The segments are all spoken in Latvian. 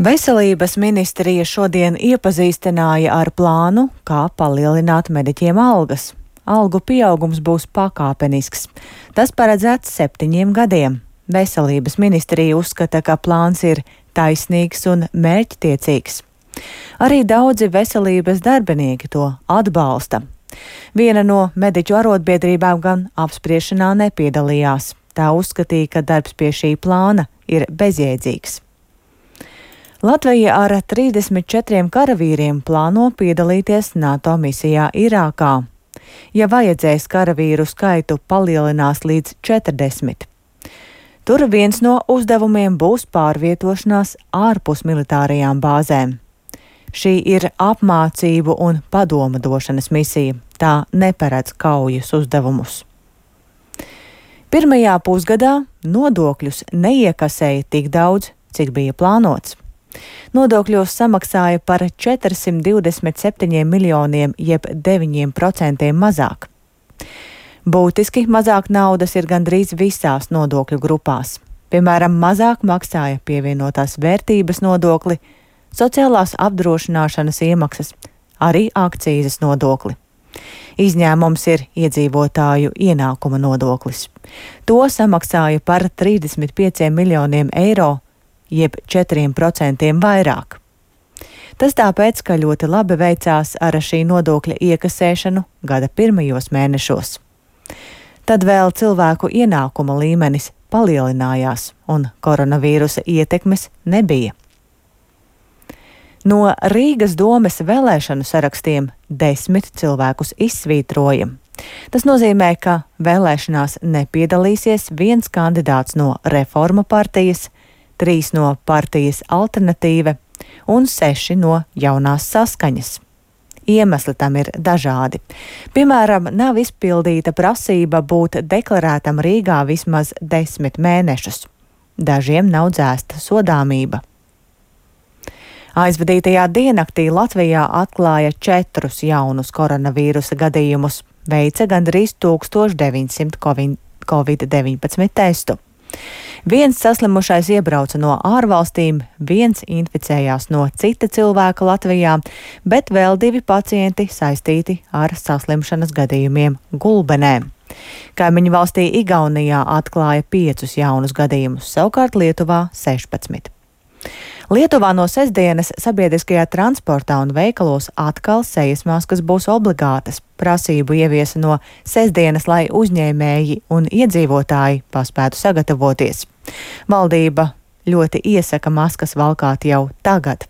Veselības ministrija šodien iepazīstināja ar plānu, kā palielināt mediķiem algas. Algu pieaugums būs pakāpenisks. Tas paredzēts 7 gadiem. Veselības ministrija uzskata, ka plāns ir taisnīgs un mērķtiecīgs. Arī daudzi veselības darbinieki to atbalsta. Viena no mediķu arotbiedrībām gan apspriešanā nepiedalījās. Tā uzskatīja, ka darbs pie šī plāna ir bezjēdzīgs. Latvija ar 34 karavīriem plāno piedalīties NATO misijā Irākā. Ja vajadzēs, karavīru skaitu palielinās līdz 40. Tur viens no uzdevumiem būs pārvietošanās ārpus militārajām bāzēm. Šī ir apmācību un padoma došanas misija. Tā neparedz kaujas uzdevumus. Pirmajā pusgadā nodokļus neiekasēja tik daudz, cik bija plānots. Nodokļos samaksāja par 427 miljoniem, jeb 9% mazāk. Būtiski mazāk naudas ir gandrīz visās nodokļu grupās. Piemēram, mazāk maksāja pievienotās vērtības nodokli, sociālās apdrošināšanas iemaksas, arī akcīzes nodokli. Izņēmums ir iedzīvotāju ienākuma nodoklis. To samaksāja par 35 miljoniem eiro, jeb 4% vairāk. Tas tāpēc, ka ļoti labi veicās ar šī nodokļa iekasēšanu gada pirmajos mēnešos. Tad vēl cilvēku ienākuma līmenis palielinājās un koronavīrusa ietekmes nebija. No Rīgas domes vēlēšanu sarakstiem 10 cilvēkus izsvītroja. Tas nozīmē, ka vēlēšanās nepiedalīsies viens kandidāts no Reforma partijas, 3 no partijas Alternatīve un 6 no Jaunās Saskaņas. Iemesli tam ir dažādi. Piemēram, nav izpildīta prasība būt deklarētam Rīgā vismaz 10 mēnešus. Dažiem nav dzēsta sodāmība. Aizvadītajā diennaktī Latvijā atklāja 4 jaunus koronavīrusa gadījumus, veica gandrīz 1900 Covid-19 testu. Viens saslimušais iebrauca no ārvalstīm, viens inficējās no cita cilvēka Latvijā, bet vēl 2 pacienti saistīti ar saslimšanas gadījumiem Gulbenē. Kaimiņu valstī Igaunijā atklāja 5 jaunus gadījumus, savukārt Lietuvā 16. Lietuvā no sestdienas sabiedriskajā transportā un veikalos atkal sejas maskas būs obligātas. Prasību ieviesa no sestdienas, lai uzņēmēji un iedzīvotāji paspētu sagatavoties. Valdība ļoti iesaka maskas valkāt jau tagad.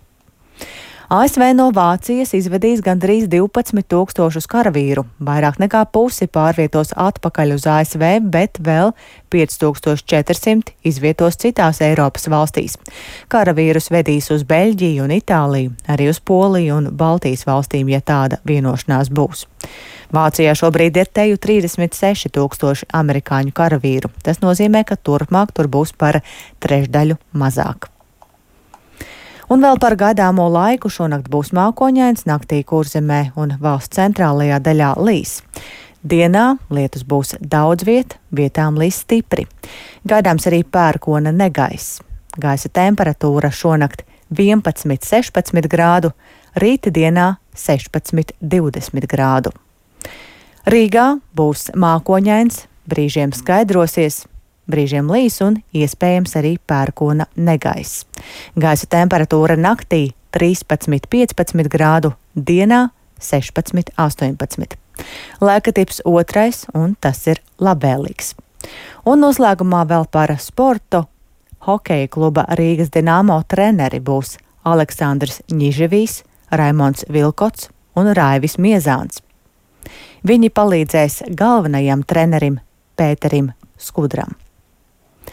ASV no Vācijas izvedīs gandrīz 12,000 karavīru. Vairāk nekā pusi pārvietos atpakaļ uz ASV, bet vēl 5400 izvietos citās Eiropas valstīs. Karavīrus vedīs uz Beļģiju un Itāliju, arī uz Poliju un Baltijas valstīm, ja tāda vienošanās būs. Vācijā šobrīd ir teju 36,000 amerikāņu karavīru. Tas nozīmē, ka turpmāk tur būs par trešdaļu mazāk. Un vēl par gaidāmo laiku. Šonakt būs mākoņains, naktī Kurzemē un valsts centrālajā daļā līs. Dienā lietus būs daudz vietām līs stipri. Gaidāms arī pērkona negaiss. Gaisa temperatūra šonakt 11–16 grādu, rīta dienā 16–20 grādu. Rīgā būs mākoņains, brīžiem skaidrosies, brīžiem līs un iespējams arī pērkona negaiss. Gaisa temperatūra naktī 13–15 grādu, dienā 16–18. Laika tips 2, un tas ir labvēlīgs. Un noslēgumā vēl par sportu. Hokeja kluba Rīgas Dinamo treneri būs Aleksandrs Ņiževijs, Raimonds Vilkots un Raivis Miezāns. Viņi palīdzēs galvenajam trenerim Pēterim Skudram.